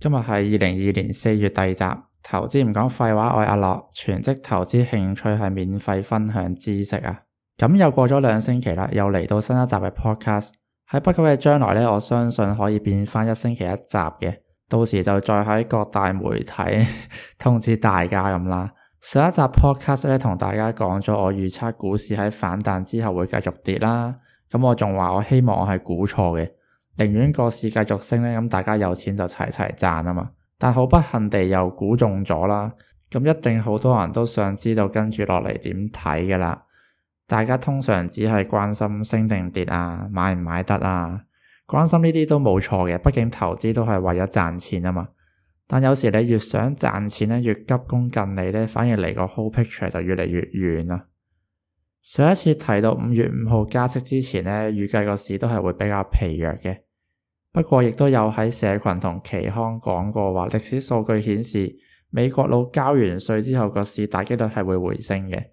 今日係2022年4月第2集，投資唔講廢話，我係阿樂，全職投資興趣係免費分享知識啊。咁又過咗2星期啦，又嚟到新一集嘅 podcast。喺不久嘅將來呢，我相信可以變返1星期1集嘅，到時就再喺各大媒體通知大家咁啦。上一集 podcast 呢，同大家講咗我預測股市喺反彈之後會繼續跌啦。咁我仲話我希望我係估錯嘅。寧願個市繼續升呢，咁大家有錢就齊齊賺啊嘛。但好不幸地又估中咗啦，咁一定好多人都想知道跟住落嚟點睇噶啦。大家通常只係關心升定跌啊，買唔買得啊，關心呢啲都冇錯嘅，畢竟投資都係為咗賺錢啊嘛。但有時你越想賺錢呢，越急功近利呢，反而離個 whole picture 就越嚟越遠啦。上一次提到5月5號加息之前呢，預計個市都係會比較疲弱嘅。不過亦都有喺社群同期刊講過話，歷史數據顯示美國佬交完稅之後個市大機率係會回升嘅。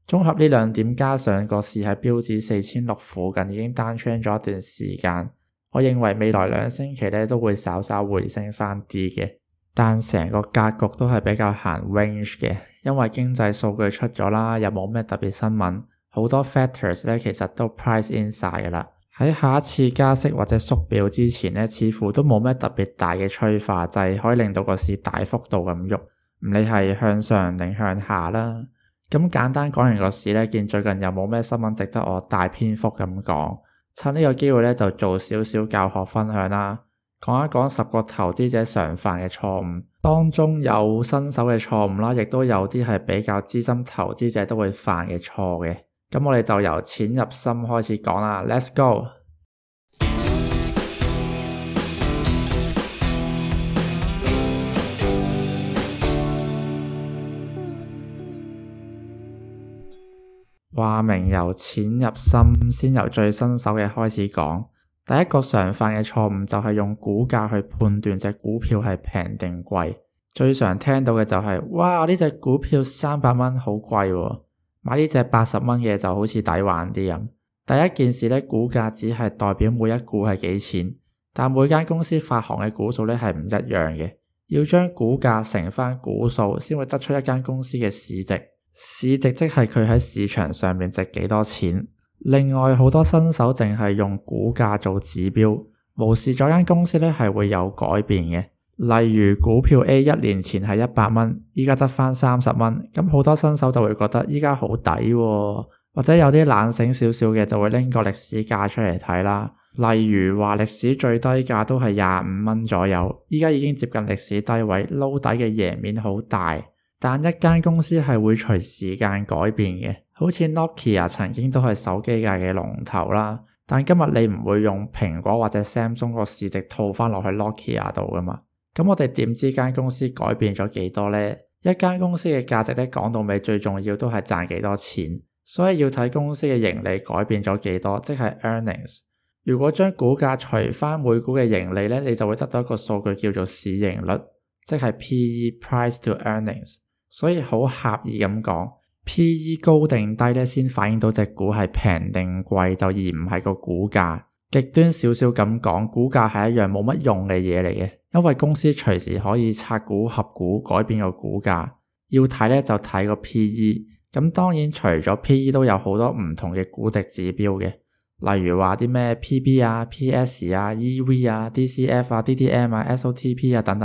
綜合呢2點，加上個市喺標指4006附近已經downtrend咗一段時間，我認為未來2星期呢都會稍稍回升翻啲嘅。但成個格局都係比較行 range 嘅，因為經濟數據出咗啦，又冇咩特別新聞，好多 factors 呢其實都 price in 晒噶啦。喺下一次加息或者縮表之前呢，似乎都冇咩特別大嘅催化劑可以令到個市大幅度咁喐，唔理係向上定向下啦。咁簡單講完個市呢，見最近又冇咩新聞值得我大篇幅咁講，趁呢個機會呢，就做少少教學分享啦，講一講10個投資者常犯嘅錯誤，當中有新手嘅錯誤啦，亦都有啲係比較資深投資者都會犯嘅錯嘅。咁我哋就由淺入深開始講啦 ，Let's go！ 話明由淺入深，先由最新手嘅開始講。第一個常犯嘅錯誤就係用股價去判斷隻股票係平定貴。最常聽到嘅就係，哇，呢隻股票300蚊好貴喎。買呢隻80蚊嘅就好似抵玩啲咁。第一件事呢，股價只係代表每一股係幾錢，但每間公司發行嘅股數呢係唔一樣嘅。要將股價乘返股數，先會得出一間公司嘅市值。市值即係佢喺市場上面值幾多錢。另外好多新手淨係用股價做指標，無視咗間公司呢係會有改變嘅。例如股票 A 1年前係100蚊，依家得返30蚊，咁好多新手就會覺得依家好抵喎，或者有啲懶醒少少嘅就會拎個歷史價出嚟睇啦。例如話歷史最低價都係25蚊左右，依家已經接近歷史低位，撈底嘅贏面好大。但一間公司係會隨時間改變嘅，好似 Nokia 曾經都係手機界嘅龍頭啦，但今日你唔會用蘋果或者 Samsung 個市值套返落去 Nokia 度噶嘛。咁我哋點知間公司改變咗幾多呢？一間公司嘅價值呢，講到尾最重要都係賺幾多錢，所以要睇公司嘅盈利改變咗幾多，即係 earnings。如果將股價除返每股嘅盈利呢，你就會得到一個數據叫做市盈率，即係 PE（Price to Earnings）。所以好狹義咁講， PE 高定低呢，先反映到隻股係平定貴，就而唔係個股價。極端少少咁講，股價係一樣冇乜用嘅嘢嚟嘅，因為公司隨時可以拆股合股改變個股價。要睇呢，就睇個 PE。咁當然除咗 PE 都有好多唔同嘅估值指標嘅，例如話啲咩 PB 啊、PS 啊、EV 啊、DCF 啊、DDM 啊、SOTP 啊等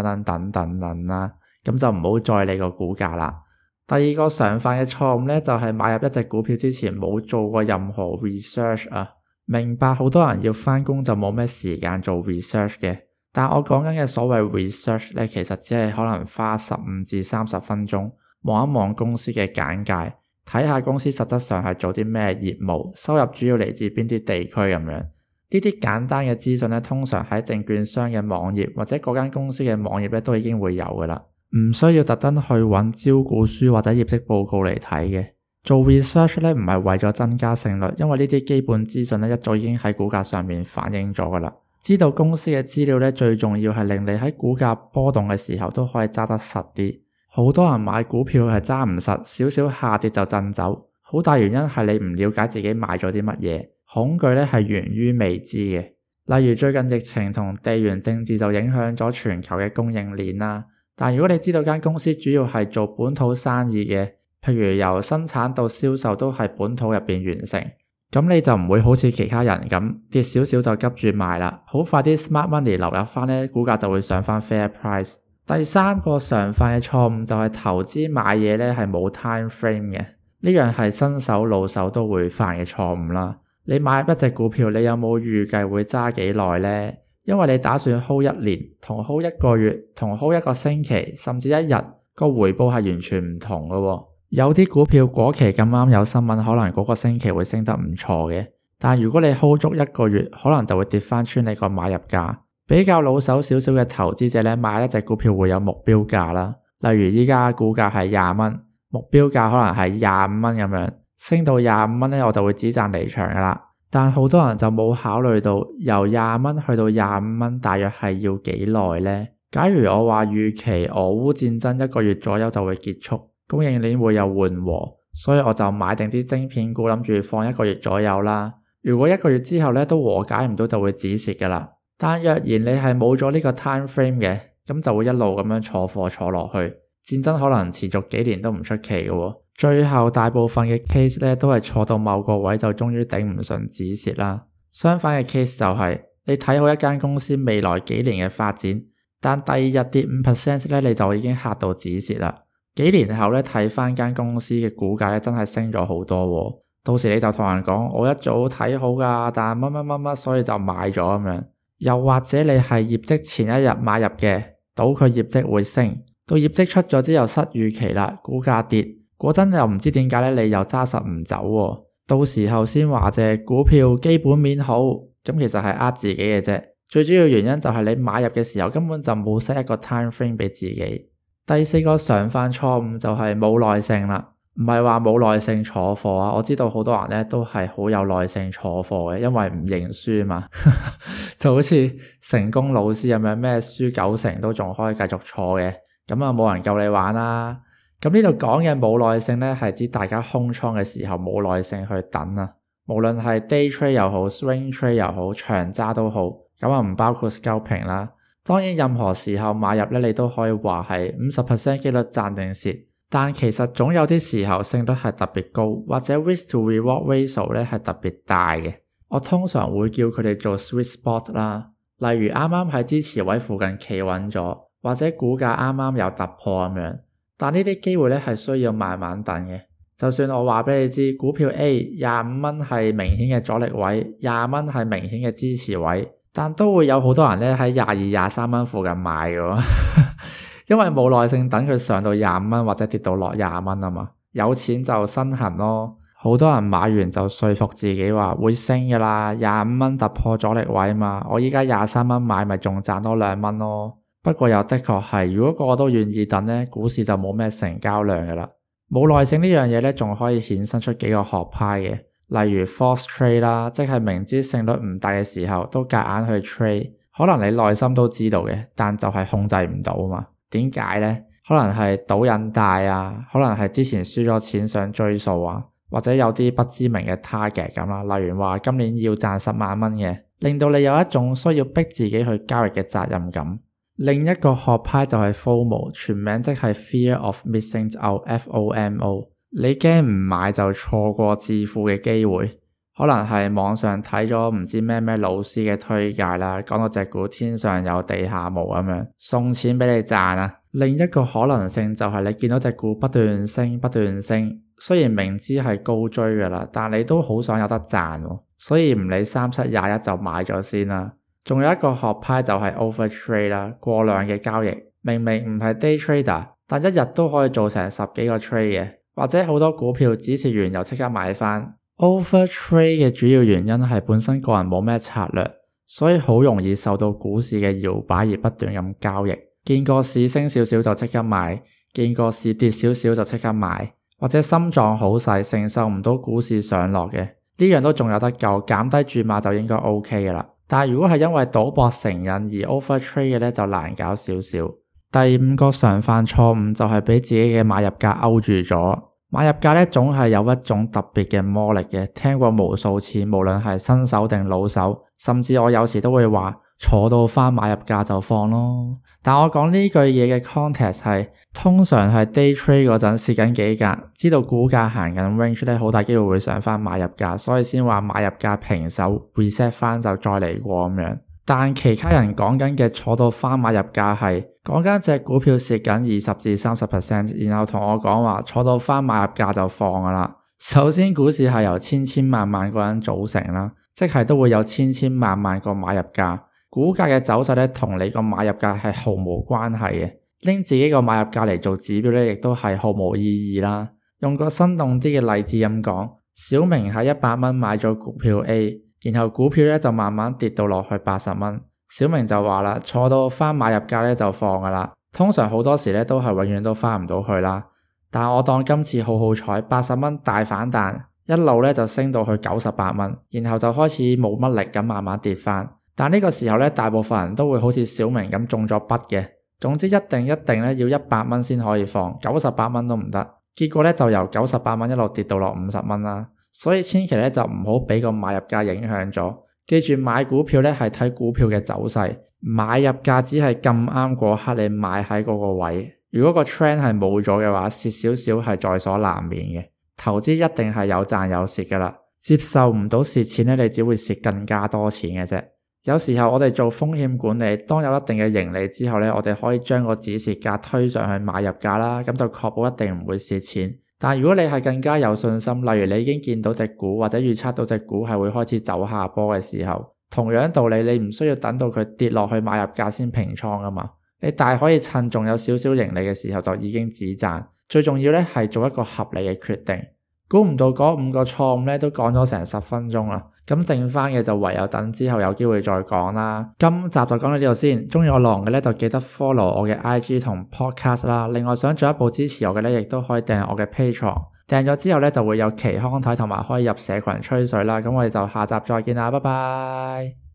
等啦。咁就唔好再理個股價啦。第二個常犯嘅錯誤呢，就係買入一隻股票之前冇做過任何 research 啊。明白好多人要返工就冇咩時間做 research 嘅，但我講緊嘅所謂 research 呢，其實只係可能花15至30分鐘望一望公司嘅簡介，睇下公司實質上係做啲咩業務，收入主要嚟自邊啲地區咁樣。呢啲簡單嘅資訊呢，通常喺證券商嘅網頁或者嗰間公司嘅網頁呢，都已經會有噶啦，唔需要特登去揾招股書或者業績報告嚟睇嘅。做 research 呢，唔係為咗增加勝率，因為呢啲基本資訊呢，一早已經喺股價上面反映咗噶啦。知道公司嘅資料呢，最重要係令你喺股價波動嘅時候都可以揸得實啲。好多人買股票係揸唔實，少少下跌就震走，好大原因係你唔了解自己買咗啲乜嘢，恐懼呢係源於未知嘅。例如最近疫情同地緣政治就影響咗全球嘅供應鏈啦。但如果你知道間公司主要係做本土生意嘅，譬如由生產到銷售都係本土入邊完成，咁你就唔會好似其他人咁跌少少就急住賣啦。好快啲 smart money 流入翻呢，股價就會上翻 fair price。第三個常犯嘅錯誤就係投資買嘢呢係冇 time frame 嘅，呢樣係新手老手都會犯嘅錯誤啦。你買入一隻股票，你有冇預計會揸幾耐呢？因為你打算 hold 1年，同 hold 1個月，同 hold 1個星期，甚至1日，個回報係完全唔同嘅喎。有啲股票果期咁啱有新聞，可能嗰個星期會升得唔錯嘅，但如果你 hold 足1個月，可能就會跌翻穿你個買入價。比較老手少少嘅投資者呢，買一隻股票會有目標價啦，例如依家股價係20蚊，目標價可能係25蚊咁樣，升到25蚊呢，我就會止賺離場噶啦。但好多人就冇考慮到由20蚊去到25蚊大約係要幾耐呢？假如我話預期俄烏戰爭1個月左右就會結束，供應鏈會有緩和，所以我就買定啲晶片股，諗住放1個月左右啦。如果1個月之後呢都和解唔到，就會止蝕噶啦。但若然你係冇咗呢個 time frame 嘅，咁就會一路咁樣坐貨坐落去，戰爭可能持續幾年都唔出奇嘅喎。最後大部分嘅 case 呢都係坐到某個位就終於頂唔順止蝕啦。相反嘅 case 就係你睇好一間公司未來幾年嘅發展，但第二日跌 5% 呢，你就已經嚇到止蝕啦。幾年後呢，睇翻間公司嘅股價呢，真係升咗好多喎。到時你就同人講，我一早睇好㗎，但乜乜乜乜所以就買咗咁樣。又或者你係業績前一日買入嘅，賭佢業績會升，到業績出咗之後失預期啦，股價跌，嗰陣又唔知點解呢，你又揸實唔走喎。到時候先話隻股票基本面好，咁其實係呃自己嘅啫。最主要原因就係你買入嘅時候根本就冇 set 一個 time frame 俾自己。第四個常犯錯誤就係冇耐性啦。唔係話冇耐性坐貨啊，我知道好多人呢都係好有耐性坐貨嘅，因為唔認輸嘛。就好似成功老師咁樣，咩輸90%都仲可以繼續坐嘅，咁啊冇人夠你玩啦。咁呢度講嘅冇耐性呢，係指大家空倉嘅時候冇耐性去等啊。無論係 day trade 又好 swing trade 又好，長揸都好，咁啊唔包括 scalping 啦。當然任何時候買入呢，你都可以話係50% 機率賺定蝕。但其實總有啲時候勝率係特別高，或者 risk to reward ratio 呢係特別大嘅。我通常會叫佢哋做 sweet spot 啦，例如啱啱喺支持位附近企穩咗，或者股價啱啱有突破咁樣。但呢啲機會呢係需要慢慢等嘅。就算我話俾你知，股票 A 25蚊係明顯嘅阻力位，20蚊係明顯嘅支持位，但都會有好多人呢喺22、23蚊附近買嘅。因為冇耐性等佢上到25蚊或者跌到落20蚊啊嘛，有錢就身痕咯。好多人買完就說服自己話會升噶啦，25蚊突破阻力位嘛，我依家23蚊買咪仲賺多2蚊咯。不過又的確係，如果個個都願意等呢，股市就冇咩成交量噶啦。冇耐性呢樣嘢呢，仲可以衍生出幾個學派嘅，例如 false trade 啦，即係明知勝率唔大嘅時候都夾硬去 trade， 可能你內心都知道嘅，但就係控制唔到嘛。點解呢？可能係賭癮大啊，可能係之前輸咗錢想追數啊，或者有啲不知名嘅 target 咁啦，例如話今年要賺10萬蚊嘅，令到你有一種需要逼自己去交易嘅責任感。另一個學派就係 FOMO， 全名即係 Fear of Missing Out FOMO， 你驚唔買就錯過致富嘅機會。可能係網上睇咗唔知咩老師嘅推介啦，講到隻股天上有地下無咁樣，送錢俾你賺啊。另一個可能性就係你見到隻股不斷升，雖然明知係高追噶啦，但你都好想有得賺喎，所以唔理3721就買咗先啦。仲有一個學派就係 overtrade 啦，過量嘅交易，明明唔係 day trader， 但一日都可以做成10幾個 trade 嘅，或者好多股票止蝕完又即刻買翻。Overtrade 嘅主要原因係本身個人冇咩策略，所以好容易受到股市嘅搖擺而不斷咁交易。見個市升少少就即刻買，見個市跌少少就即刻買，或者心臟好細承受唔到股市上落嘅，呢樣都仲有得救，減低注碼就應該 OK 嘅啦。但係如果係因為賭博成癮而 overtrade 嘅呢，就難搞少少。第5個常犯錯誤就係俾自己嘅買入價勾住咗。買入價咧總係有一種特別嘅魔力嘅，聽過無數次，無論係新手定老手，甚至我有時都會話坐到返買入價就放咯。但我講呢句嘢嘅 context 係通常係 day trade 嗰陣蝕緊幾格，知道股價行緊 range 咧，好大機會會上返買入價，所以先話買入價平手 reset 返就再嚟過咁樣。但其他人講緊嘅坐到返買入價係講緊隻股票蝕緊20至30%，然後同我講話坐到返買入價就放㗎啦。首先股市係由千萬個人組成啦，即係都會有千萬個買入價。股價嘅走勢咧同你個買入價係毫無關係嘅，拎自己個買入價嚟做指標咧，亦都係毫無意義啦。用個生動啲嘅例子咁講，小明喺100蚊買咗股票 A。然後股票咧就慢慢跌到落去80蚊，小明就話啦，坐到返買入價咧就放噶啦。通常好多時咧都係永遠都返唔到去啦。但我當今次好好彩，80蚊大反彈，一路咧就升到去98蚊，然後就開始冇乜力咁慢慢跌返。但呢個時候咧，大部分人都會好似小明咁中咗筆嘅。總之一定咧要100蚊先可以放，98蚊都唔得。結果咧就由98蚊一路跌到落50蚊啦。所以千祈咧就唔好俾個買入價影響咗，記住買股票咧係睇股票嘅走勢，買入價只係咁啱嗰刻你買喺嗰個位，如果個 trend 係冇咗嘅話，蝕少少係在所難免嘅。投資一定係有賺有蝕噶啦，接受唔到蝕錢咧，你只會蝕更加多錢嘅啫。有時候我哋做風險管理，當有一定嘅盈利之後咧，我哋可以將個止蝕價推上去買入價啦，咁就確保一定唔會蝕錢。但如果你係更加有信心，例如你已經見到隻股或者預測到隻股係會開始走下坡嘅時候，同樣道理，你唔需要等到佢跌落去買入價先平倉噶嘛，你大可以趁仲有少少盈利嘅時候就已經止賺。最重要咧係做一個合理嘅決定。估唔到嗰5個錯誤咧都講咗成10分鐘啦，咁剩翻嘅就唯有等之後有機會再講啦。今集就講到呢度先，中意我內容嘅咧就記得 follow 我嘅 IG 同 podcast 啦。另外想進一步支持我嘅咧，亦都可以訂我嘅 Patreon， 訂咗之後咧就會有期刊睇同埋可以入社群吹水啦。咁我哋就下集再見啦，拜拜。